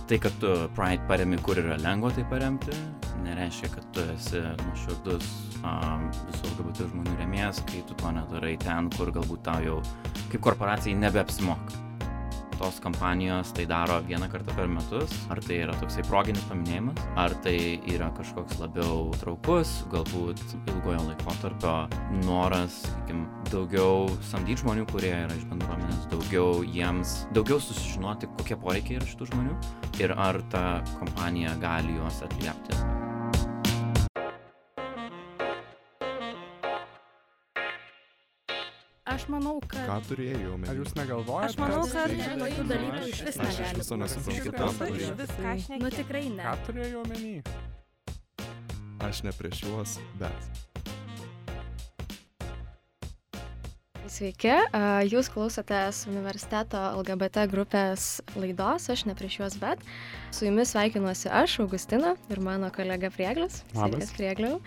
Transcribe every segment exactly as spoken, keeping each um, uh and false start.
tai, kad tu Pride paremi, kur yra lengva tai paremti, nereiškia, kad tu esi nuoširdus um, visų L G B T žmonių rėmėjas, kai tu to nedarai ten, kur galbūt tau jau kaip korporacijai nebeapsimoka. Tos kampanijos tai daro vieną kartą per metus, ar tai yra toksai proginis paminėjimas, ar tai yra kažkoks labiau traukus, galbūt ilgojo laikotarpio noras, sakykim, daugiau samdyti žmonių, kurie yra iš bendruomenės, daugiau jiems, daugiau susižinoti, kokie poreikiai yra šitų žmonių ir ar ta kompanija gali juos atliepti. Aš manau, kad... Ką turėjau omeny? Ar jūs negalvojate? Aš manau, kad tai- tokių dalykų iš vis Aš iš negali. viso nesuprantu, ką būti. turėjau. Viską šneki. Nu tikrai ne. Ką turėjau omeny? Aš ne prieš juos, bet. Sveiki, a, jūs klausotės universiteto L G B T grupės laidos, aš ne prieš juos, bet su jumis sveikinuosi aš, Augustina, ir mano kolega Prieglis. Labas. Sveikas, Priegliau.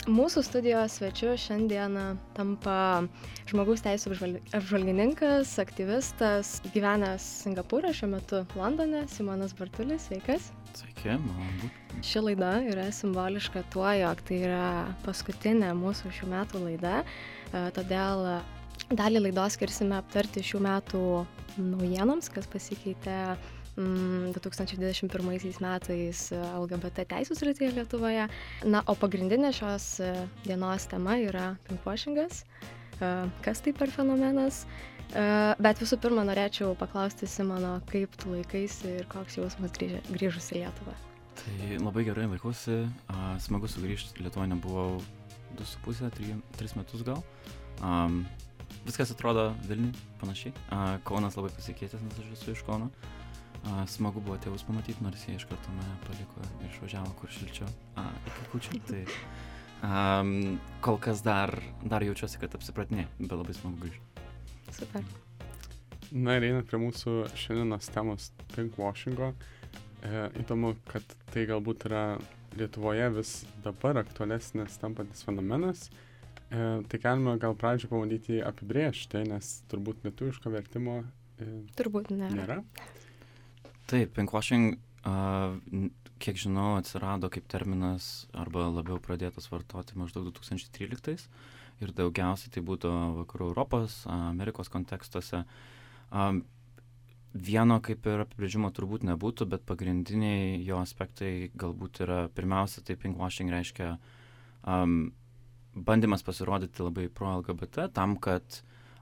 Mūsų studijos svečiu šiandieną tampa žmogaus teisų apžval- apžvalgininkas, aktyvistas, gyvenęs Singapūre, šiuo metu Londone, Simonas Bartulis. Sveikas. Sveiki, malonu būti. Ši laida yra simboliška tuo, jog tai yra paskutinė mūsų šių metų laida, e, todėl dalį laidos skirsime aptarti šių metų naujienoms, kas pasikeitė mm, du tūkstančiai dvidešimt pirmaisiais metais L G B T teisų srityje Lietuvoje. Na, o pagrindinė šios e, dienos tema yra pinkwashingas. E, Kas tai per fenomenas? E, Bet visų pirma, norėčiau paklausti Simono, kaip tu laikaisi ir koks jausmas grįžę- grįžus į Lietuvą. Tai labai gerai laikausi, a, smagu sugrįžti, Lietuvoje nebuvau du su pusė, tris metus gal. Um, viskas atrodo Vilniui panašiai. A, Kaunas labai pasikeitęs, nes aš esu iš Kauno. A, smagu buvo tėvus pamatyti, nors jie iš karto mane paliko ir išvažiavo kur šilčiau. A, iki kūčių. Tai um, kol kas dar, dar jaučiuosi, kad apsipratinė, bet labai smagu grįžti. Super. Na ir einant prie mūsų šiandienos temos pinkwashingo. E, įdomu, kad tai galbūt yra Lietuvoje vis dabar aktualesnis tampantis fenomenas. E, tai galime gal pradžio pabandyti jį apibrėžti, nes turbūt lietuviško vertimo e, Turbūt nėra. nėra. Taip, pinkwashing, uh, kiek žinau, atsirado kaip terminas arba labiau pradėtas vartoti maždaug du tūkstančiai tryliktais ir daugiausiai tai būtų vakarų Europos, Amerikos kontekstuose. Um, vieno kaip ir apibrėžimo turbūt nebūtų, bet pagrindiniai jo aspektai galbūt yra, pirmiausia, tai pinkwashing reiškia um, bandymas pasirodyti labai pro L G B T tam, kad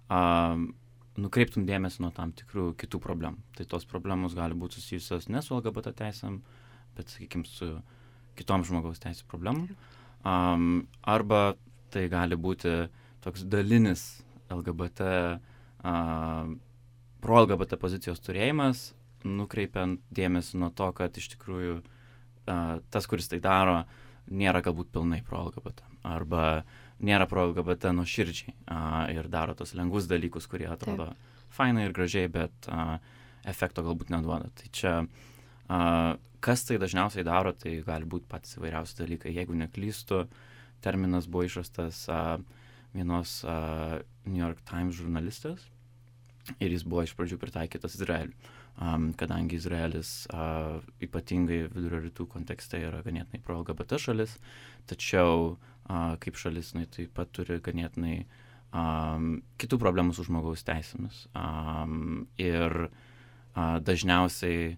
um, nukreiptum dėmesį nuo tam tikrų kitų problemų. Tai tos problemos gali būti susijusios ne su L G B T teisėm, bet, sakykime, su kitom žmogaus teisų problemom. Um, arba tai gali būti toks dalinis L G B T, uh, pro L G B T pozicijos turėjimas, nukreipiant dėmesį nuo to, kad iš tikrųjų uh, tas, kuris tai daro, nėra galbūt pilnai pro L G B T. Arba nėra pro L G B T nuoširdžiai a, ir daro tos lengvus dalykus, kurie atrodo Taip. fainai ir gražiai, bet a, efekto galbūt neduoda. Tai čia, a, kas tai dažniausiai daro, tai gali būti patys įvairiausi dalykai. Jeigu neklystu, terminas buvo išrastas a, vienos a, New York Times žurnalistės ir jis buvo iš pradžių pritaikytas Izraeliui. Um, kadangi Izraelis uh, ypatingai vidurio rytų kontekste yra ganėtinai pro L G B T šalis, tačiau uh, kaip šalis jinai taip pat turi ganėtinai um, kitų problemų su žmogaus teisėmis. Um, ir uh, dažniausiai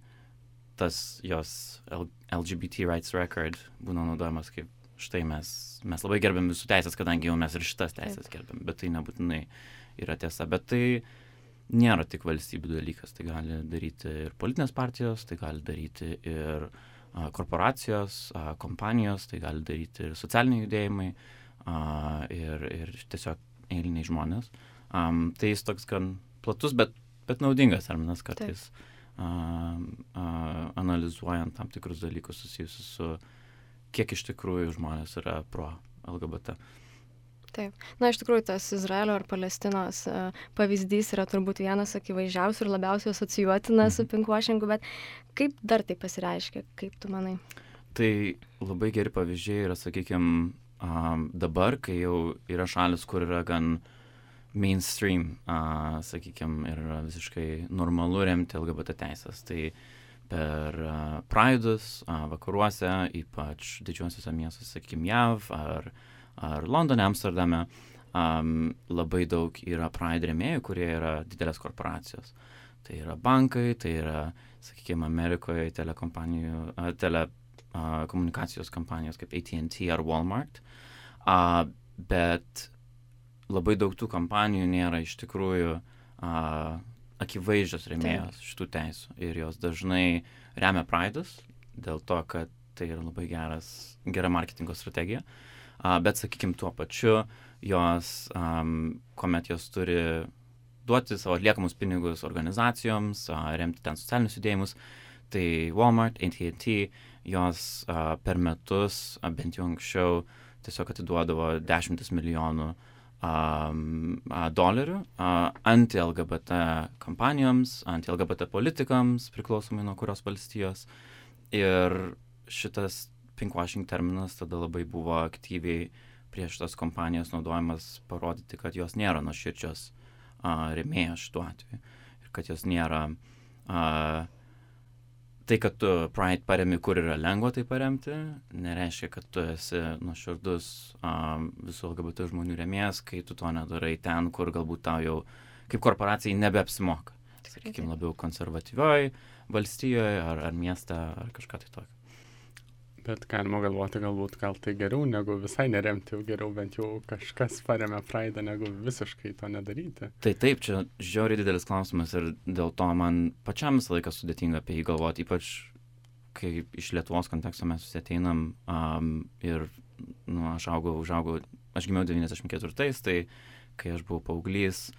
tas jos L- LGBT rights record būna naudojamas kaip štai mes, mes labai gerbėm visų teisės, kadangi jau mes ir šitas teisės gerbėm, bet tai nebūtinai yra tiesa. Bet tai nėra tik valstybių dalykas, tai gali daryti ir politinės partijos, tai gali daryti ir a, korporacijos, a, kompanijos, tai gali daryti ir socialiniai judėjimai a, ir, ir tiesiog eiliniai žmonės. Um, tai jis toks gan platus, bet, bet naudingas terminas kartais, a, a, analizuojant tam tikrus dalykus susijusius su kiek iš tikrųjų žmonės yra pro L G B T. Taip. Na, iš tikrųjų, tas Izraelio ar Palestinos uh, pavyzdys yra turbūt vienas akivaizdžiausių ir labiausiai asocijuotinas su pinkwashingu, bet kaip dar tai pasireiškia, kaip tu manai? Tai labai geri pavyzdžiai yra, sakykime, um, dabar, kai jau yra šalis, kur yra gan mainstream, uh, sakykime, ir yra visiškai normalu remti L G B T teisės. Tai per uh, Pride'us uh, vakaruose, ypač didžiuosiuose miestuose, sakykime, J A V ar, ar Londone, Amsterdame. Um, labai daug yra Pride rėmėjų, kurie yra didelės korporacijos. Tai yra bankai, tai yra, sakykime, Amerikoje telekompanijų, uh, tele, uh, komunikacijos kompanijos kaip A T and T ar Walmart. Uh, bet labai daug tų kompanijų nėra iš tikrųjų uh, akivaizdžios rėmėjos šitų teisų ir jos dažnai remia Pride'us dėl to, kad tai yra labai geras, gera marketingo strategija, uh, bet sakykime tuo pačiu jos, um, kuomet jos turi duoti savo atliekamus pinigus organizacijoms, uh, remti ten socialinius judėjimus, tai Walmart, A T and T, jos uh, per metus, uh, bent jau anksčiau, tiesiog atiduodavo dešimtis milijonų Um, uh, dolerių uh, anti-L G B T kampanijoms, anti-L G B T politikams, priklausomai nuo kurios valstijos. Ir šitas pinkwashing terminas tada labai buvo aktyviai prieš tas kompanijas naudojamas parodyti, kad jos nėra nuoširdžios uh, rėmėjos šituo atveju. Ir kad jos nėra... Uh, tai, kad tu Pride paremi, kur yra lengva tai paremti, nereiškia, kad tu esi nuoširdus um, visų L G B T žmonių rėmėjas, kai tu to nedarai ten, kur galbūt tau jau kaip korporacijai nebeapsimoka. Sakykime, labiau konservatyvioj valstijoje ar, ar mieste ar kažką tai tokio. Bet galima galvoti, galbūt gal tai geriau, negu visai neremti, jau geriau bent jau kažkas paremia Pride'ą, negu visiškai to nedaryti. Tai taip, čia žiauriai didelis klausimas ir dėl to man pačiam visą laiką sudėtinga apie jį galvoti, ypač kai iš Lietuvos konteksto mes visi ateinam um, ir nu, aš augau, užaugau, aš gimiau devyniasdešimt ketvirtais, tai kai aš buvau paauglys,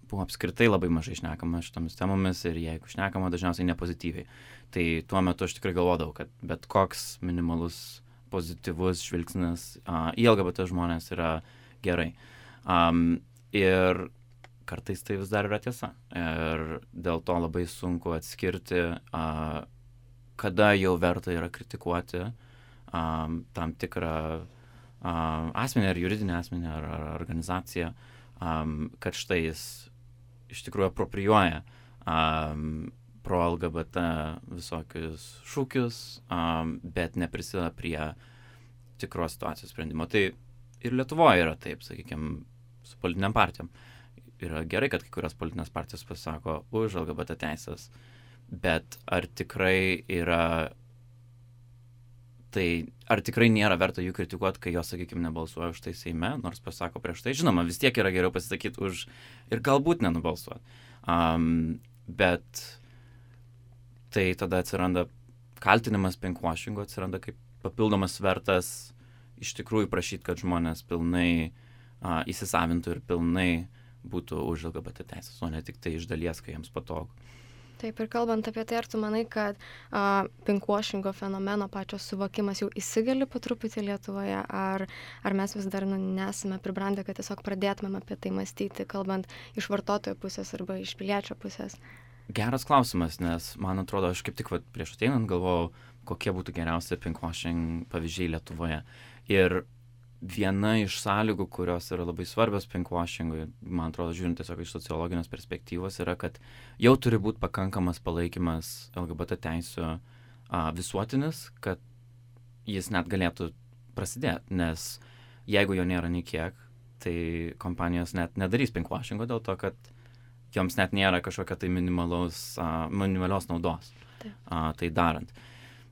buvo apskritai labai mažai šnekama šitomis temomis ir jeigu šnekama, dažniausiai nepozityviai. Tai tuo metu aš tikrai galvodavau, kad bet koks minimalus pozityvus žvilgsnis uh, į L G B T žmonės yra gerai. Um, ir kartais tai vis dar yra tiesa. Ir dėl to labai sunku atskirti, uh, kada jau verta yra kritikuoti um, tam tikrą uh, asmenį ar juridinį asmenį ar, ar organizaciją, um, kad štai jis iš tikrųjų apropriuoja um, pro L G B T visokius šūkius, um, bet neprisideda prie tikros situacijos sprendimo. Tai ir Lietuvoje yra taip, sakykime, su politiniam partijom. Yra gerai, kad kai kurios politinės partijos pasako už L G B T teisės, bet ar tikrai yra, tai ar tikrai nėra verta jų kritikuoti, kai jos, sakykime, nebalsuoja už tai Seime, nors pasako prieš tai. Žinoma, vis tiek yra geriau pasisakyti už ir galbūt nenubalsuoti. Um, bet tai tada atsiranda kaltinimas pinkwashingo, atsiranda kaip papildomas svertas iš tikrųjų prašyti, kad žmonės pilnai uh, įsisavintų ir pilnai būtų už L G B T teisės, o ne tik tai iš dalies, kai jiems patogu. Taip, ir kalbant apie tai, ar tu manai, kad uh, pinkwashingo fenomeno pačios suvokimas jau įsigali po truputį Lietuvoje, ar, ar mes vis dar nu, nesame pribrandę, kad tiesiog pradėtumėm apie tai mąstyti, kalbant iš vartotojo pusės arba iš piliečio pusės? Geras klausimas, nes man atrodo, aš kaip tik vat, prieš ateinant galvojau, kokie būtų geriausi pinkwashing pavyzdžiai Lietuvoje. Ir viena iš sąlygų, kurios yra labai svarbios pinkwashingui, man atrodo, žiūrint tiesiog iš sociologinės perspektyvos, yra, kad jau turi būti pakankamas palaikymas L G B T teisių a, visuotinis, kad jis net galėtų prasidėti, nes jeigu jo nėra nei kiek, tai kompanijos net nedarys pinkwashingo dėl to, kad joms net nėra kažkokia tai minimalaus, a, minimalios naudos a, tai darant.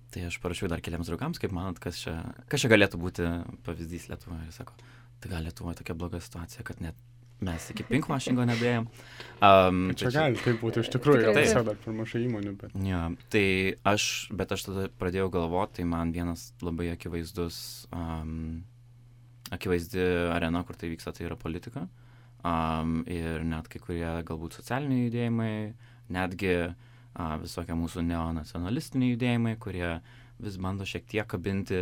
Tai aš parašiau dar keliams draugams, kaip manot, kas čia, kas čia galėtų būti pavyzdys Lietuvoje. Ir sako, tai gal Lietuvoje tokia bloga situacija, kad net mes iki pinkwashingo nedėjom. Um, čia gali taip būti, iš tikrųjų, gal tiesiog dar per mažai įmonių, bet... Ja, tai aš, bet aš tada pradėjau galvoti, tai man vienas labai akivaizdus, um, akivaizdi arena, kur tai vyksta, tai yra politika. Um, ir net kai kurie galbūt socialiniai judėjimai, netgi uh, visokie mūsų neonacionalistiniai judėjimai, kurie vis bando šiek tiek kabinti,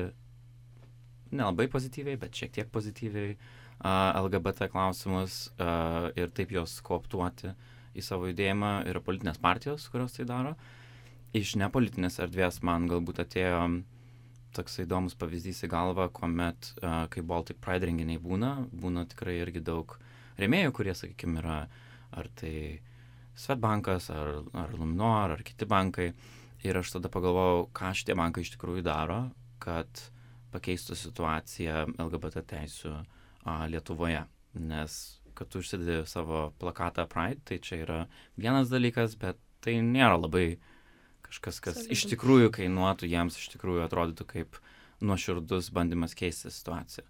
nelabai pozityviai, bet šiek tiek pozityviai uh, L G B T klausimus uh, ir taip jos kooptuoti į savo judėjimą. Yra politinės partijos, kurios tai daro. Iš nepolitinės erdvės man galbūt atėjo toks įdomus pavyzdys į galvą, kuomet, uh, kai Baltic Pride renginiai būna, būna tikrai irgi daug rėmėjų, kurie, sakykime, yra ar tai Swedbankas, ar, ar Luminor, ar kiti bankai. ir aš tada pagalvojau, ką šitie bankai iš tikrųjų daro, kad pakeistų situaciją L G B T teisių a, Lietuvoje. Nes kad tu užsidedi savo plakatą Pride, tai čia yra vienas dalykas, bet tai nėra labai kažkas, kas Solidum. iš tikrųjų kainuotų, jiems iš tikrųjų atrodytų kaip nuoširdus bandymas keisti situaciją.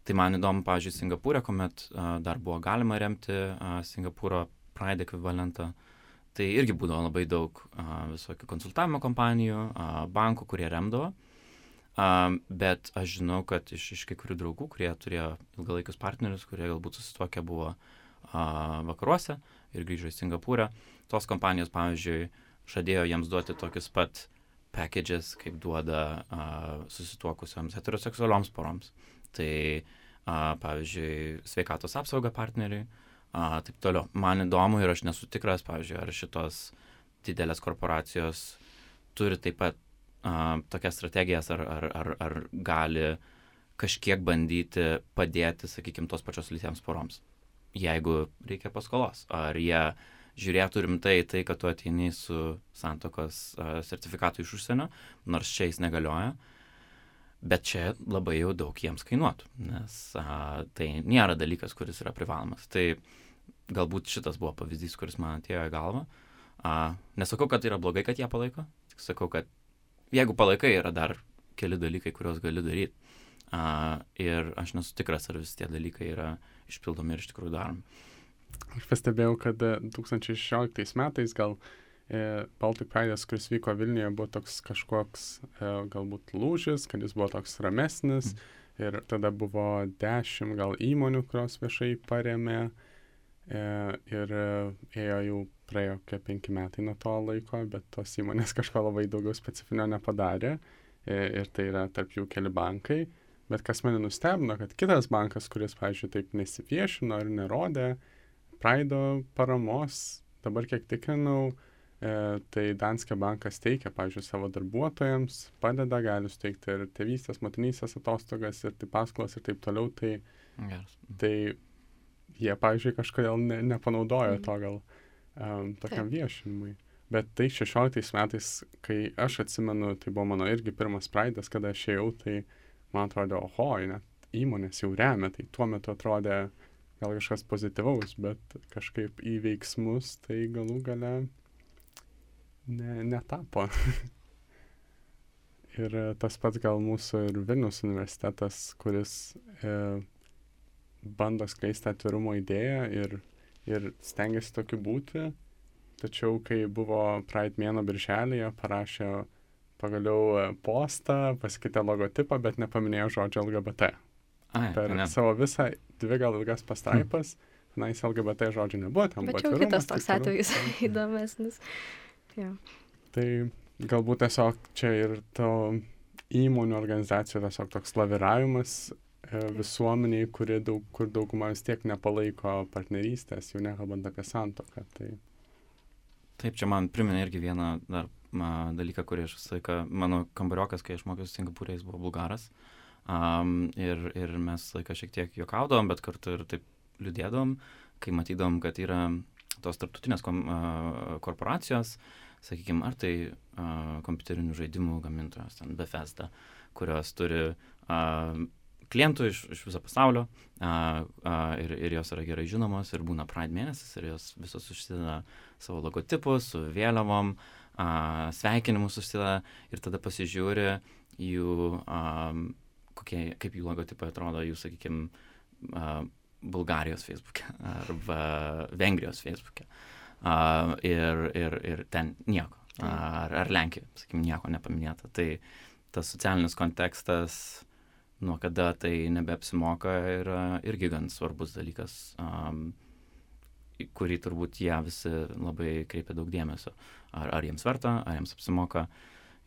Tai man įdomu, pavyzdžiui, Singapūrė, kuomet a, dar buvo galima remti a, Singapūro Pride ekvivalentą, tai irgi būdavo labai daug a, visokių konsultavimo kompanijų, a, bankų, kurie remdavo. A, bet aš žinau, kad iš, iš kai kurių draugų, kurie turėjo ilgalaikius partnerius, kurie galbūt susituokę buvo a, vakaruose ir grįžo į Singapūrę, tos kompanijos, pavyzdžiui, žadėjo jiems duoti tokius pat packages, kaip duoda a, susituokusioms heteroseksualioms poroms. Tai, a, pavyzdžiui, sveikatos apsauga partneriai, a, taip toliau. Man įdomu ir aš nesu tikras, pavyzdžiui, ar šitos didelės korporacijos turi taip pat a, tokias strategijas, ar, ar, ar, ar gali kažkiek bandyti padėti, sakykime, tos pačios lytiems poroms, jeigu reikia paskolos. Ar jie žiūrėtų rimtai tai, kad tu ateini su santuokos a, sertifikatu iš užsienio, nors čia jis negalioja, bet čia labai jau daug jiems kainuotų, nes a, tai nėra dalykas, kuris yra privalomas. Tai galbūt šitas buvo pavyzdys, kuris man atėjo į galvą. A, nesakau, kad tai yra blogai, kad jie palaiko, tik sakau, kad jeigu palaikai, yra dar keli dalykai, kuriuos gali daryti. A, ir aš nesu tikras, ar visi tie dalykai yra išpildomi ir iš tikrųjų daromi. Aš pastebėjau, kad du tūkstančiai šešioliktais metais gal e, Baltic Pride'as, kuris vyko Vilniuje, buvo toks kažkoks e, galbūt lūžis, kad jis buvo toks ramesnis mm. ir tada buvo dešimt gal įmonių, kurios viešai paremė e, ir e, ėjo jau praėjo kokie penki metai nuo to laiko, bet tos įmonės kažko labai daugiau specifinio nepadarė e, ir tai yra tarp jų keli bankai. Bet kas mane nustebino, kad kitas bankas, kuris, pavyzdžiui, taip nesiviešino ir nerodė Pride'o paramos, dabar kiek tikrinau, e, tai Danske bankas teikia, pavyzdžiui, savo darbuotojams, padeda, gali suteikti ir tėvystės, motinystės atostogas, ir tai paskolas ir taip toliau, tai, Geras. tai jie, pavyzdžiui, kažkodėl ne, nepanaudojo to gal um, tokiam viešinimui. Bet tai šešioliktais metais, kai aš atsimenu, tai buvo mano irgi pirmas Pride'as, kada aš ėjau, tai man atrodė, oho, net įmonės jau remia, tai tuo metu atrodė gal kažkas pozityvaus, bet kažkaip į veiksmus tai galų gale ne, netapo. Ir tas pats gal mūsų ir Vilniaus universitetas, kuris e, bando skleisti atvirumo idėją ir, ir stengiasi tokiu būti, tačiau kai buvo Pride mėnuo birželėje, parašė pagaliau postą, pasikeitė logotipą, bet nepaminėjo žodžio L G B T. Ai, Per ne. savo visą dvi gal ilgas pastraipas, tenais L G B T žodžių nebuvo, ten Bet buvo jau atvirumas, kitas taip toks toliau. atvejis įdomesnis. Ja. Tai galbūt tiesiog čia ir to įmonių organizacijų tiesiog toks laviravimas e, visuomeniai, kuri daug, kur dauguma vis tiek nepalaiko partnerystės, jau nekalbant apie santuoką. Tai Taip, čia man priminė irgi vieną dar ma, dalyką, kurį aš visą laiką, mano kambariokas, kai aš mokiausi Singapūrė, jis buvo bulgaras. Um, ir, ir mes laiką šiek tiek juokaudavom, bet kartu ir taip liūdėdavom, kai matydom, kad yra tos tarptautinės kom, uh, korporacijos, sakykime, ar tai uh, kompiuterinių žaidimų gamintojos, ten Bethesda, kurios turi uh, klientų iš, iš viso pasaulio uh, uh, ir, ir jos yra gerai žinomos ir būna Pride mėnesis ir jos visos užsideda savo logotipus su vėliavom, uh, sveikinimus užsideda ir tada pasižiūri jų um, kokie, kaip jų logotipai atrodo jų, sakykime, uh, Bulgarijos Facebook'e arba Vengrijos Facebook'e. Uh, ir, ir, ir ten nieko. Ar, ar Lenkija, sakykime, nieko nepaminėta. Tai tas socialinis kontekstas, nuo kada tai nebeapsimoka, yra irgi gan svarbus dalykas, um, kurį turbūt jie visi labai kreipia daug dėmesio. Ar, ar jiems verta, ar jiems apsimoka.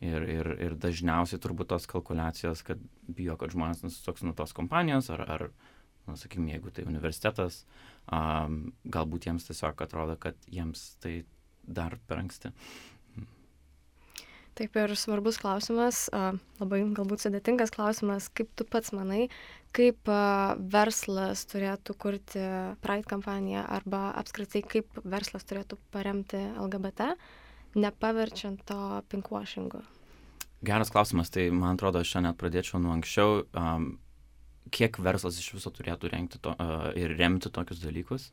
Ir, ir, ir dažniausiai turbūt tos kalkuliacijos, kad bijo, kad žmonės nusisuks nuo tos kompanijos, ar, ar nu, sakykime, jeigu tai universitetas, um, galbūt jiems tiesiog atrodo, kad jiems tai dar per anksti. Taip ir svarbus klausimas, a, labai galbūt sudėtingas klausimas, kaip tu pats manai, kaip a, verslas turėtų kurti Pride kampaniją arba apskritai kaip verslas turėtų paremti L G B T nepaverčiant to pinkwashingu? Geras klausimas, tai man atrodo, aš čia net pradėčiau nuo anksčiau, um, kiek verslas iš viso turėtų rengti to, uh, ir remti tokius dalykus,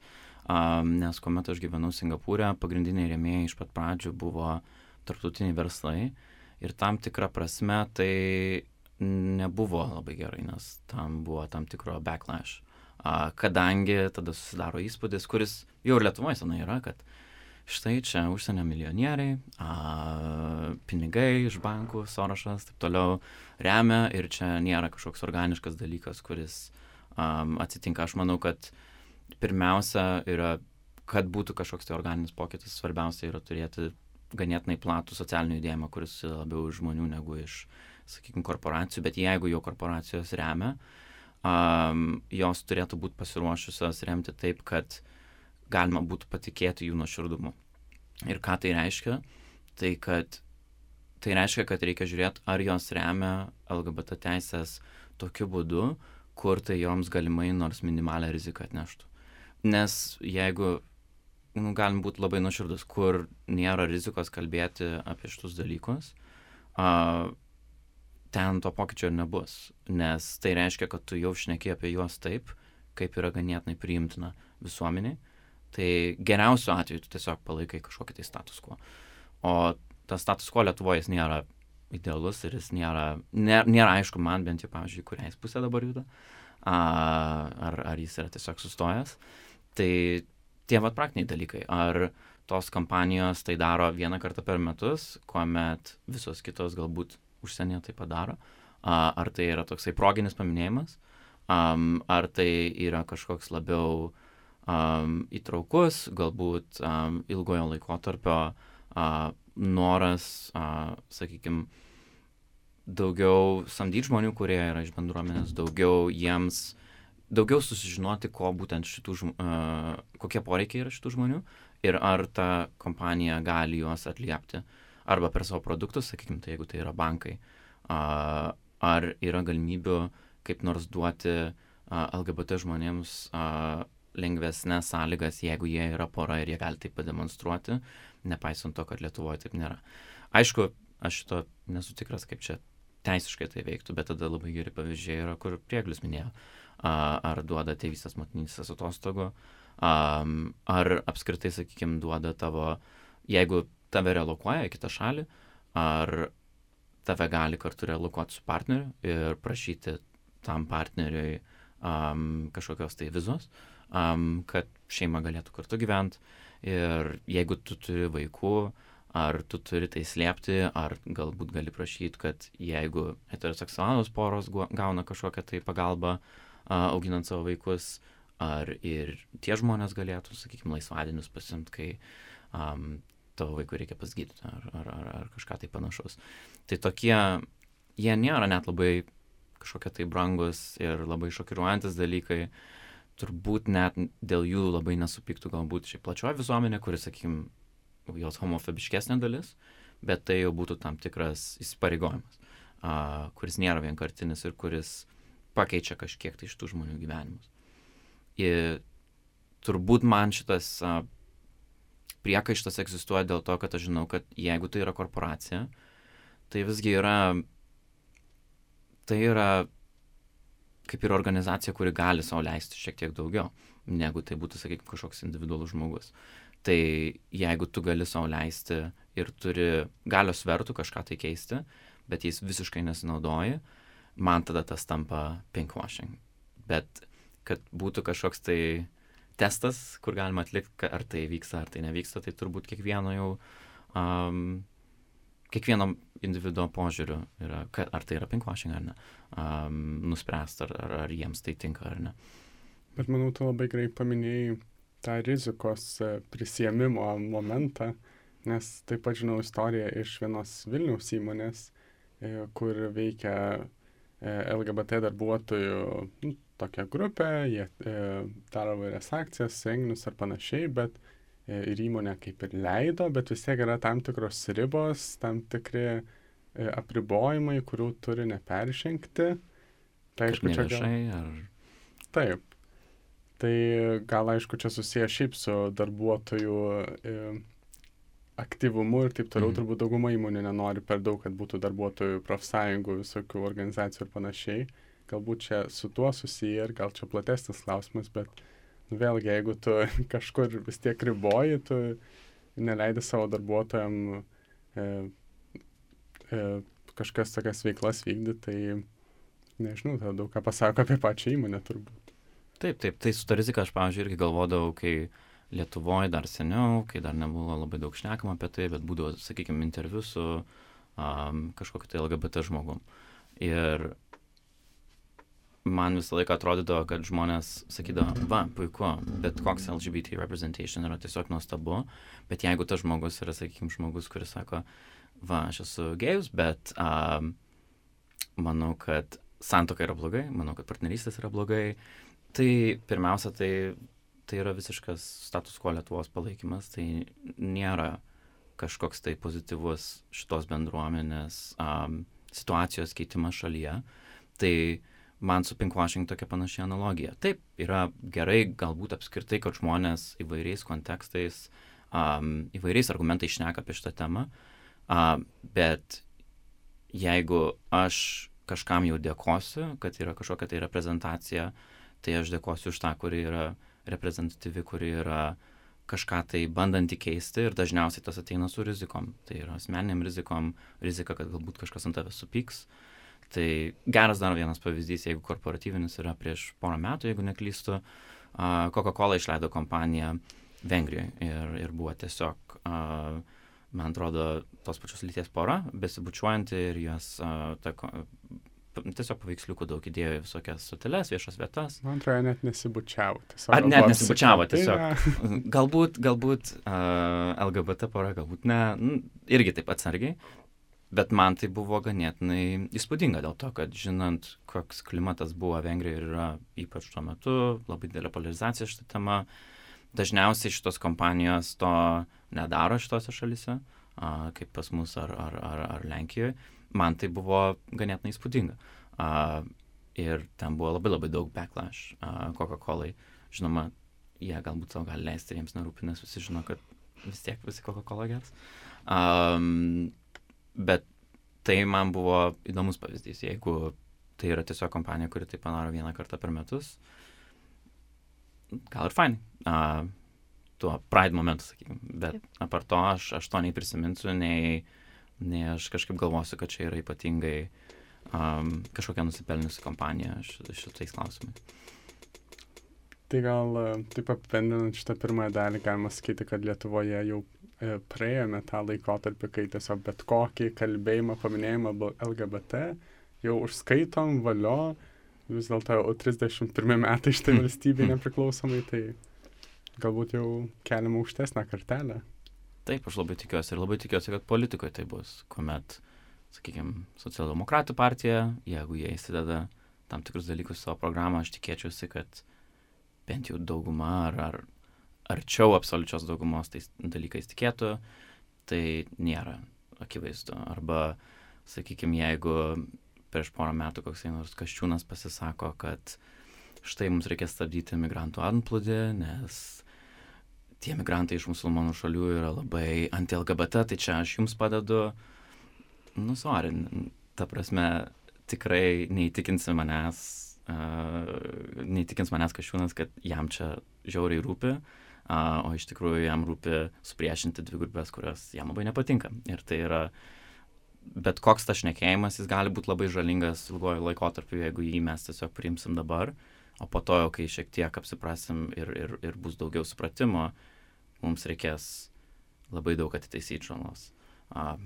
um, nes kuomet aš gyvenau Singapūre, pagrindiniai rėmėjai iš pat pradžių buvo tarptautiniai verslai ir tam tikra prasme tai nebuvo labai gerai, nes tam buvo tam tikro backlash, uh, kadangi tada susidaro įspūdis, kuris jau ir Lietuvoje senai yra, kad štai čia užsienio milijonieriai, a, pinigai iš bankų, Sorošas, taip toliau remia ir čia nėra kažkoks organiškas dalykas, kuris um, atsitinka. Aš manau, kad pirmiausia yra, kad būtų kažkoks tai organinis pokytis, svarbiausia yra turėti ganėtinai platų socialinį judėjimą, kuris labiau iš žmonių negu iš, sakykime, korporacijų, bet jeigu jau korporacijos remia, um, jos turėtų būti pasiruošusios remti taip, kad galima būtų patikėti jų nuoširdumu. Ir ką tai reiškia? Tai, kad, tai reiškia, kad reikia žiūrėti, ar jos remia L G B T teisės tokiu būdu, kur tai joms galimai nors minimalę riziką atneštų. Nes jeigu, nu, galim būti labai nuoširdus, kur nėra rizikos kalbėti apie šitus dalykus, a, ten to pokyčio ir nebus. Nes tai reiškia, kad tu jau šneki apie juos taip, kaip yra ganėtinai priimtina visuomeniai. Tai geriausiu atveju tu tiesiog palaikai kažkokį tai status quo. O tas status quo Lietuvoje jis nėra idealus ir jis nėra, nėra, nėra aišku man bent jau, pavyzdžiui, kuriais pusė dabar juda, a, ar, ar jis yra tiesiog sustojęs. Tai tie vat praktiniai dalykai. Ar tos kompanijos tai daro vieną kartą per metus, kuomet visos kitos galbūt užsienyje tai padaro. A, ar tai yra toksai proginis paminėjimas, um, ar tai yra kažkoks labiau Um, įtraukus, galbūt um, ilgojo laikotarpio uh, noras, uh, sakykime, daugiau samdyti žmonių, kurie yra iš bendruomenės, daugiau jiems, daugiau susižinoti, ko būtent šitų, uh, kokie poreikiai yra šitų žmonių ir ar ta kompanija gali juos atliepti arba per savo produktus, sakykime, tai jeigu tai yra bankai, uh, ar yra galimybių kaip nors duoti uh, L G B T žmonėms uh, lengvesnės sąlygas, jeigu jie yra pora ir jie gali tai pademonstruoti, nepaisant to, kad Lietuvoje taip nėra. Aišku, aš šito nesu tikras, kaip čia teisiškai tai veiktų, bet tada labai geri pavyzdžiai yra, kur Prieglis minėjo, ar duoda tėvystės motinystės atostogų, ar apskritai, sakykime, duoda tavo, jeigu tave relokuoja į kitą šalį, ar tave gali kartu relokuoti su partneriu ir prašyti tam partneriui um, kažkokios tai vizos, Um, kad šeima galėtų kartu gyventi ir jeigu tu turi vaikų, ar tu turi tai slėpti, ar galbūt gali prašyti, kad jeigu heteroseksualūs poros gauna kažkokią tai pagalbą uh, auginant savo vaikus, ar ir tie žmonės galėtų, sakykime, laisvadienius pasimti, kai um, tavo vaikų reikia pas gydytoją, ar, ar, ar, ar kažką tai panašaus. Tai tokie, jie nėra net labai kažkokie tai brangus ir labai šokiruojantis dalykai, turbūt net dėl jų labai nesupyktų galbūt šiaip plačioji visuomenė, kuris, sakykime, jos homofobiškesnė dalis, bet tai jau būtų tam tikras įsipareigojimas, uh, kuris nėra vienkartinis ir kuris pakeičia kažkiek tai šitų žmonių gyvenimus. Ir turbūt man šitas uh, priekaištas egzistuoja dėl to, kad aš žinau, kad jeigu tai yra korporacija, tai visgi yra, tai yra kaip ir organizacija, kuri gali sau leisti šiek tiek daugiau, negu tai būtų, sakykime, kažkoks individualus žmogus. Tai jeigu tu gali sau leisti ir turi galios svertų kažką tai keisti, bet jais visiškai nesinaudoji, man tada tas tampa pinkwashing. Bet kad būtų kažkoks tai testas, kur galima atlikti, ar tai vyksta, ar tai nevyksta, tai turbūt kiekvieno jau, um, kiekvieno individuo požiūriu yra, ar tai yra pinkwashing ar ne, um, nuspręst, ar, ar, ar jiems tai tinka ar ne. Bet manau, tu labai gerai paminėjai tą rizikos prisiėmimo momentą, nes taip pat žinau istoriją iš vienos Vilniaus įmonės, kur veikia L G B T darbuotojų nu, tokia grupė, jie daro vairias akcijas, renginius ar panašiai, bet ir įmonė kaip ir leido, bet vis tiek yra tam tikros ribos, tam tikri apribojimai, kurių turi neperžengti. Tai aišku, čia gal... ar... Taip. Tai gal aišku, čia susiję šiaip su darbuotojų e, aktyvumu ir taip toliau, Mhm. turbūt dauguma įmonių nenori per daug, kad būtų darbuotojų profsąjungų, visokių organizacijų ir panašiai. Galbūt čia su tuo susiję ir gal čia platesnis klausimas, bet nu, vėlgi, jeigu tu kažkur vis tiek riboji, tu neleidi savo darbuotojam e, e, kažkas tokias veiklas vykdyti, tai nežinau, tai daug ką pasako apie pačią įmonę turbūt. Taip, taip, tai su ta rizika aš, pavyzdžiui, irgi galvodavau, kai Lietuvoje dar seniau, kai dar nebuvo labai daug šnekama apie tai, bet būdavo, sakykime, interviu su um, kažkokiu tai L G B T žmogum. Ir man visą laiką atrodydavo, kad žmonės sakydavo, va, puiku, bet koks L G B T representation yra tiesiog nuostabu, bet jeigu tas žmogus yra, sakykime, žmogus, kuris sako, va, aš esu gėjus, bet um, manau, kad santuoka yra blogai, manau, kad partnerystės yra blogai, tai pirmiausia, tai tai yra visiškas status quo Lietuvos palaikymas, tai nėra kažkoks tai pozityvus šitos bendruomenės um, situacijos keitimas šalyje. Tai man su pinkwashing tokia panaši analogija. Taip, yra gerai galbūt apskritai, kad žmonės įvairiais kontekstais, um, įvairiais argumentais šneka apie šitą temą, uh, bet jeigu aš kažkam jau dėkosiu, kad yra kažkokia tai reprezentacija, tai aš dėkosiu už tą, kuri yra reprezentatyvi, kuri yra kažką tai bandanti keisti ir dažniausiai tas ateina su rizikom. Tai yra asmeniniam rizikom, rizika, kad galbūt kažkas ant tavęs supyks. Tai geras dar vienas pavyzdys, jeigu korporatyvinis yra prieš porą metų, jeigu neklystu, uh, Coca-Cola išleido kompaniją Vengrijoje ir, ir buvo tiesiog, uh, man atrodo, tos pačios lyties pora, besibučiuojanti ir jos uh, ta, tiesiog paveiksliukų daug įdėjo į visokias stoteles, viešas vietas. Man atrodo, net nesibučiavo. Ar net nesibučiavo tiesiog. Galbūt, galbūt uh, L G B T pora, galbūt ne, nu, irgi taip atsargiai, bet man tai buvo ganėtinai įspūdinga dėl to, kad žinant, koks klimatas buvo Vengrijoje ir yra ypač tuo metu, labai didelė polarizacija šitą temą, dažniausiai šitos kompanijos to nedaro šitose šalyse, uh, kaip pas mus ar, ar, ar, ar Lenkijoje. Man tai buvo ganėtinai įspūdinga. Uh, ir ten buvo labai labai daug backlash uh, Coca-Colai. Žinoma, jie galbūt savo gali leisti ir jiems nerūpi, nes visi žino, kad vis tiek visi Coca-Cola gers. Um, bet tai man buvo įdomus pavyzdys. Jeigu tai yra tiesiog kompanija, kuri tai padaro vieną kartą per metus, gal ir fainai. Uh, tuo Pride momentu, sakykime. Bet Taip. apart to, aš, aš to nei prisiminsiu, nei nei aš kažkaip galvosiu, kad čia yra ypatingai um, kažkokia nusipelniusi kompanija šitais klausimais. Tai gal taip apibendrinant šitą pirmąją dalį, galima sakyti, kad Lietuvoje jau e, praėjome tą laikotarpį, kai tiesiog bet kokį kalbėjimą, paminėjimą L G B T jau užskaitom, valio, vis dėlto jau trisdešimt pirmi metai šitai valstybei nepriklausomai, tai galbūt jau keliama aukštesnę kartelę. Taip, aš labai tikiuosi ir labai tikiuosi, kad politikoje tai bus, kuomet, sakykime, socialdemokratų partija, jeigu jie įsideda tam tikrus dalykus savo programą, aš tikėčiausi, kad bent jau dauguma ar, ar arčiau absoliučios daugumos tais dalykais tikėtų, tai nėra akivaizdu. Arba, sakykime, jeigu prieš porą metų koksai nors Kasčiūnas pasisako, kad štai mums reikia stabdyti migrantų antplūdį, nes tie migrantai iš musulmonų šalių yra labai anti-L G B T, tai čia aš jums padedu, nu, sorry, ta prasme, tikrai neįtikinsi manęs, uh, neįtikins manęs Kasčiūnas, kad jam čia žiauriai rūpi, uh, o iš tikrųjų jam rūpi supriešinti dvi grupės, kurios jam labai nepatinka. Ir tai yra, bet koks tas šnekėjimas, jis gali būti labai žalingas ilgojo laikotarpiu, jeigu jį mes tiesiog priimsim dabar, o po to, kai šiek tiek apsiprasim ir, ir, ir bus daugiau supratimo, mums reikės labai daug atitaisyti žalos. Uh,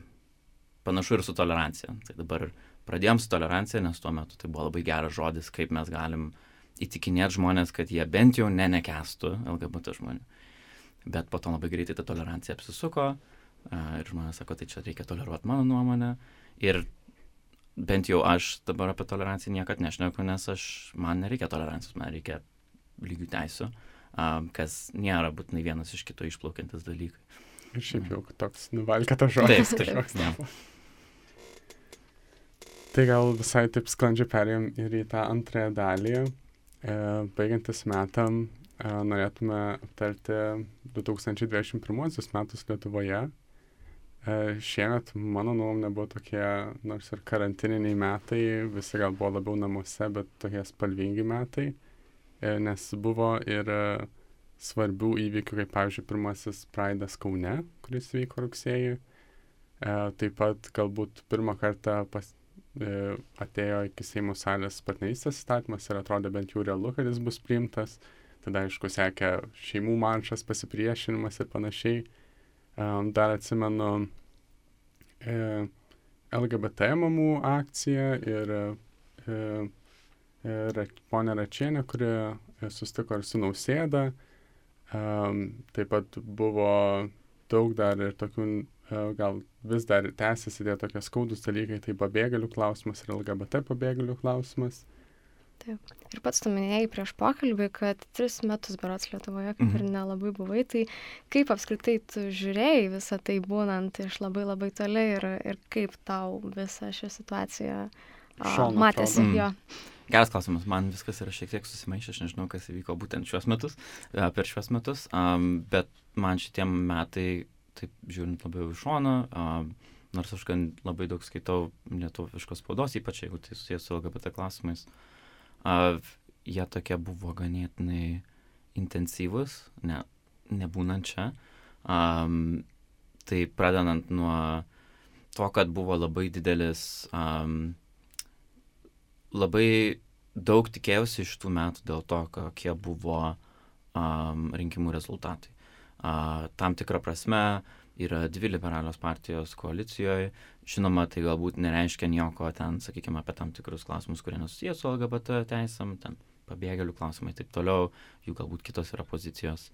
panašu ir su tolerancija. Tai dabar pradėjom su tolerancija, nes tuo metu tai buvo labai geras žodis, kaip mes galim įtikinėti žmonės, kad jie bent jau ne nekęstų L G B T žmonių. Bet po to labai greitai ta tolerancija apsisuko uh, ir žmonės sako, tai čia reikia toleruoti mano nuomonę. Ir bent jau aš dabar apie toleranciją niekad nešneku, nes aš, man nereikia tolerancijos, man reikia lygių teisių, um, kas nėra būtinai vienas iš kito išplaukiantis dalykai. Ir šiaip jau toks nuvalkėtas žodis. Taip, taip, taip. Tai gal visai taip sklandžiai perėjom ir į tą antrąją dalį. E, baigiantis metam e, norėtume aptarti du tūkstančiai dvidešimt pirmuosius metus Lietuvoje. E, šiemet, mano nuomonė, buvo tokie, nors ir karantininiai metai, visi gal buvo labiau namuose, bet tokie spalvingi metai, e, nes buvo ir e, svarbių įvykių, kaip pavyzdžiui, pirmasis Pride'as Kaune, kuris vyko rugsėjį. E, taip pat galbūt pirmą kartą pas, e, atėjo iki Seimo salės partnerystės įstatymas ir atrodė bent jau realu, kad jis bus priimtas. Tada, aišku, sekė šeimų maršas, pasipriešinimas ir panašiai. Um, dar atsimenu e, L G B T mamų akciją ir e, e, ponę Račienę, kuri e, susitiko ir su Nausėda. Um, taip pat buvo daug dar ir tokių, e, gal vis dar tęsiasi tie tokie skaudus dalykai, tai pabėgėlių klausimas ir L G B T pabėgėlių klausimas. Taip. Ir pats tu minėjai prieš pokalbį, kad tris metus berods Lietuvoje kaip ir nelabai buvai, tai kaip apskritai tu žiūrėjai visą tai būnant iš labai labai toli ir, ir kaip tau visa ši situacija a, matėsi Mm. jo? Geras klausimas, man viskas yra šiek tiek susimaišę, aš nežinau, kas įvyko būtent šiuos metus, e, per šiuos metus, um, bet man šitie metai, taip žiūrint labiau iš šono, um, nors aš gan labai daug skaitau lietuviškos spaudos, ypač jeigu tai susijęs su L G B T klausimais, uh, jie tokie buvo ganėtinai intensyvus, ne, nebūnant čia. Um, tai pradedant nuo to, kad buvo labai didelis, um, labai daug tikėjausi iš tų metų dėl to, kokie buvo um, rinkimų rezultatai. Uh, tam tikrą prasme yra dvi liberalios partijos koalicijoje. Žinoma, tai galbūt nereiškia nieko ten, sakykime, apie tam tikrus klausimus, kurie nesusijęs su L G B T teisėm, ten pabėgėlių klausimai ir taip toliau, jų galbūt kitos yra pozicijos,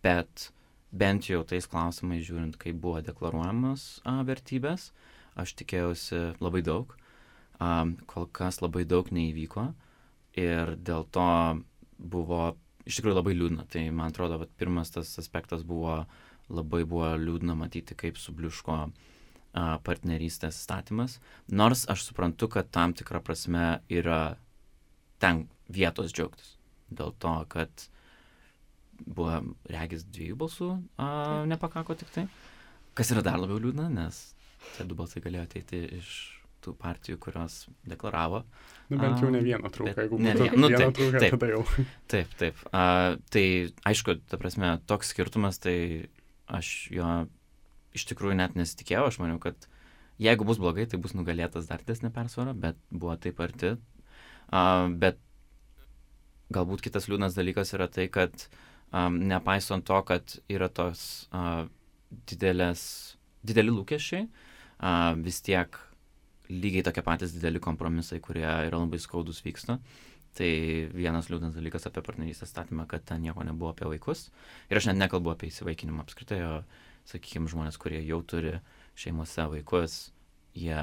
bet bent jau tais klausimais žiūrint, kaip buvo deklaruojamos a, vertybės, aš tikėjausi labai daug, a, kol kas labai daug neįvyko ir dėl to buvo iš tikrųjų labai liūdna. Tai man atrodo, kad pirmas tas aspektas buvo, labai buvo liūdna matyti, kaip subliuško a, partnerystės įstatymas, nors aš suprantu, kad tam tikra prasme yra ten vietos džiaugtis. Dėl to, kad buvo regis dviejų balsų, a, nepakako tik tai. Kas yra dar labiau liūdna, nes tie du balsai galėjo ateiti iš tų partijų, kurios deklaravo. Nu, bent jau ne A, vieną trūką, bet jeigu ne būtų vien- nu, vieną taip, trūką, taip. tada jau. Taip, taip. A, tai aišku, ta prasme, toks skirtumas, tai aš jo iš tikrųjų net nesitikėjau. Aš maniau, kad jeigu bus blogai, tai bus nugalėtas dar didesnė persvara, bet buvo taip arti. A, bet galbūt kitas liūdnas dalykas yra tai, kad um, nepaisant to, kad yra tos uh, didelės, dideli lūkesčiai, uh, vis tiek lygiai tokie patys dideli kompromisai, kurie yra labai skaudus vyksta. Tai vienas liūdnas dalykas apie partnerystės statymą, kad ten nieko nebuvo apie vaikus. Ir aš net nekalbu apie įsivaikinimą apskritai, o, sakykime, žmonės, kurie jau turi šeimose vaikus, jie,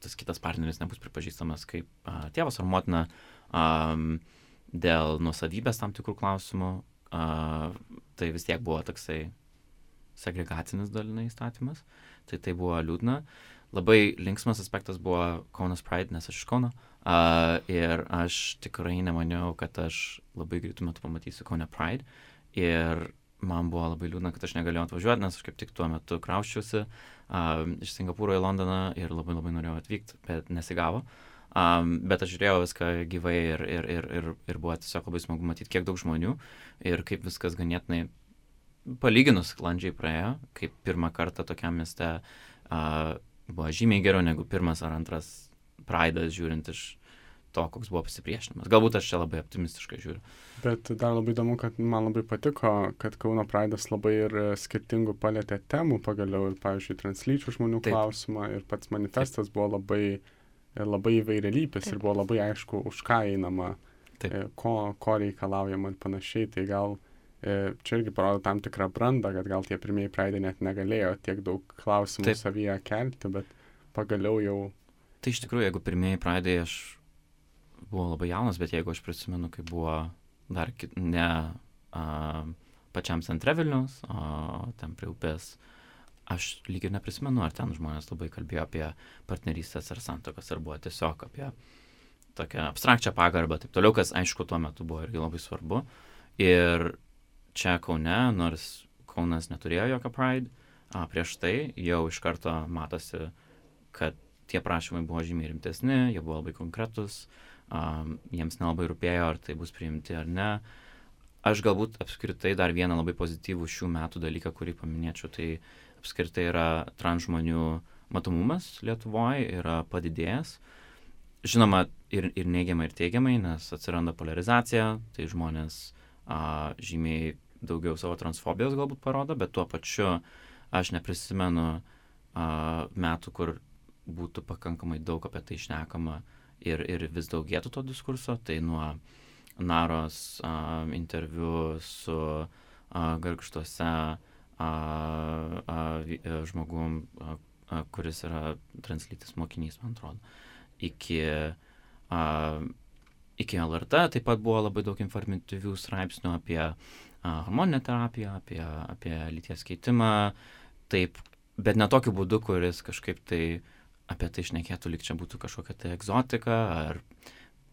tas kitas partneris nebus pripažįstamas kaip a, tėvas ar motina um, dėl nuosavybės tam tikrų klausimų. A, tai vis tiek buvo toksai segregacinis dalinai įstatymas. Tai tai buvo liūdna. Labai linksmas aspektas buvo Kaunas Pride, nes aš iš Kauno. Uh, ir aš tikrai nemaniau, kad aš labai greitų metų pamatysiu Kaune Pride. Ir man buvo labai liūdna, kad aš negalėjau atvažiuoti, nes aš kaip tik tuo metu krauščiausi uh, iš Singapūro į Londoną ir labai labai norėjau atvykti, bet nesigavo. Um, bet aš žiūrėjau viską gyvai ir, ir, ir, ir, ir buvo tiesiog labai smagu matyti, kiek daug žmonių ir kaip viskas ganėtinai palyginus sklandžiai praėjo, kaip pirmą kartą tokiam mieste uh, buvo žymiai geriau negu pirmas ar antras Pride'as, žiūrint iš to, koks buvo pasipriešinimas. Galbūt aš čia labai optimistiškai žiūriu. Bet dar labai įdomu, kad man labai patiko, kad Kauno Pride'as labai ir skirtingų palėtė temų pagaliau, ir, pavyzdžiui, translyčių žmonių Taip. klausimą, ir pats manifestas Taip. buvo labai, labai įvairialypis ir buvo labai aišku, už ką einama, Taip. e, ko, ko reikalaujama ir panašiai. Tai gal e, čia irgi parodo tam tikrą brandą, kad gal tie pirmieji Pride'ai net negalėjo tiek daug klausimų Taip. savyje kelti, bet pagaliau jau. Tai iš tikrųjų, jeigu pirmieji Pride'ai aš buvau labai jaunas, bet jeigu aš prisimenu, kai buvo dar kit, ne a, pačiam centre Vilniaus, o ten prie upės, aš lyg ir neprisimenu, ar ten žmonės labai kalbėjo apie partnerystės ar santuokas, ar buvo tiesiog apie tokią abstrakčią pagarbą, taip toliau, kas aišku tuo metu buvo irgi labai svarbu. Ir čia Kaune, nors Kaunas neturėjo jokio Pride, a, prieš tai, jau iš karto matosi, kad tie prašymai buvo žymiai rimtesni, jie buvo labai konkretus, a, jiems nelabai rūpėjo, ar tai bus priimti ar ne. Aš galbūt apskritai dar vieną labai pozityvų šių metų dalyką, kurį paminėčiau, tai apskritai yra trans žmonių matomumas Lietuvoje yra padidėjęs. Žinoma, ir, ir neigiamai, ir teigiamai, nes atsiranda polarizacija, tai žmonės a, žymiai daugiau savo transfobijos galbūt parodo, bet tuo pačiu aš neprisimenu a, metų, kur būtų pakankamai daug apie tai šnekama ir, ir vis daugėtų to diskurso. Tai nuo Naros a, interviu su a, Gargžduose a, a, žmogum, a, a, kuris yra translytis mokinys, man atrodo, iki, a, iki L R T taip pat buvo labai daug informatyvių straipsnių apie a, hormoninę terapiją, apie, apie lyties keitimą, taip, bet ne tokiu būdu, kuris kažkaip tai apie tai šnekėtų, lyg čia būtų kažkokia tai egzotika ar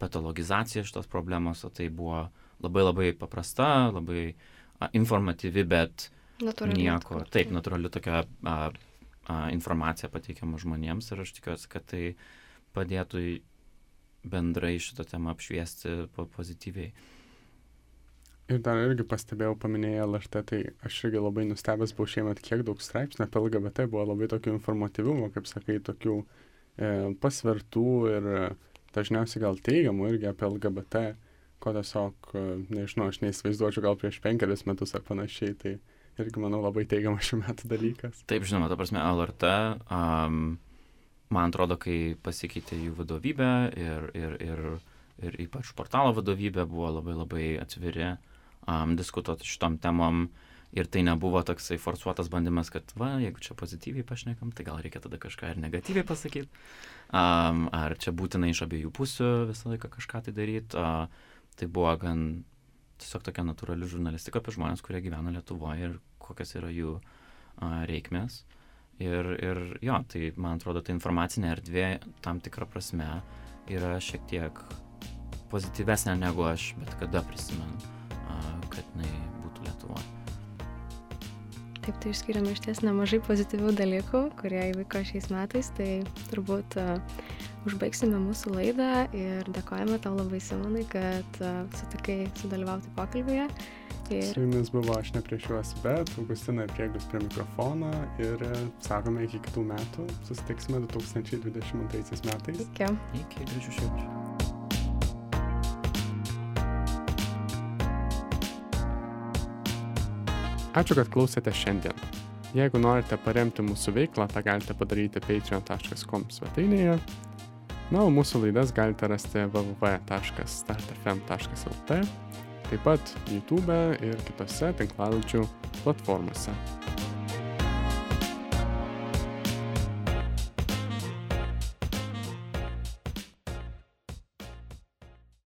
patologizacija šitos problemos, o tai buvo labai labai paprasta, labai a, informatyvi, bet Natūrali nieko, atkurti. taip, natūrali tokia a, a, informacija pateikiama žmonėms ir aš tikiuosi, kad tai padėtų į- bendrai šitą temą apšviesti po- pozityviai. Ir dar irgi pastebėjau, paminėjai L R T, tai aš irgi labai nustebęs buvau šiemet, kiek daug straipsnių apie L G B T buvo labai tokių informatyvumo, kaip sakai, tokių e, pasvertų ir e, dažniausiai gal teigiamų irgi apie L G B T, ko tiesiog, e, nežinau, aš neįsivaizduočiau gal prieš penkerius metus ar panašiai, tai irgi, manau, labai teigiamas šių metų dalykas. Taip, žinoma, ta prasme, L R T, um, man atrodo, kai pasikeitė jų vadovybė ir, ir, ir, ir ypač portalo vadovybė buvo labai labai atviri um, diskutuoti šitom temom ir tai nebuvo toksai forsuotas bandymas, kad, va, jeigu čia pozityviai pašnekam, tai gal reikia tada kažką ir negatyviai pasakyti. Um, ar čia būtina iš abiejų pusių visą laiką kažką tai daryti. Uh, tai buvo gan tiesiog tokia natūrali žurnalistika apie žmonės, kurie gyvena Lietuvoje ir kokios yra jų uh, reikmės. Ir, ir jo, tai man atrodo, ta informacinė erdvė tam tikrą prasme yra šiek tiek pozityvesnė negu aš bet kada prisimenu, a, kad jinai būtų Lietuvoje. Taip, tai išskiriame iš ties nemažai pozityvių dalykų, kurie įvyko šiais metais, tai turbūt uh, užbaigsime mūsų laidą ir dėkojame tau labai, Simonai, kad uh, sutikai sudalyvauti pokalbėje. Ir Su jumis buvo aš ne prieš juos, bet Augustina ir Prieglius prie mikrofono ir e, sakome iki kitų metų, susitiksime du tūkstančiai dvidešimt antraisiais metais. iki. Iki gražių švenčių. Ačiū, kad klausėte šiandien. Jeigu norite paremti mūsų veiklą, tą galite padaryti patreon taškas com svetainėje. Na, o mūsų laidas galite rasti w w w taškas start f m taškas l t, taip pat YouTube ir kitose tinklalaidžių platformose.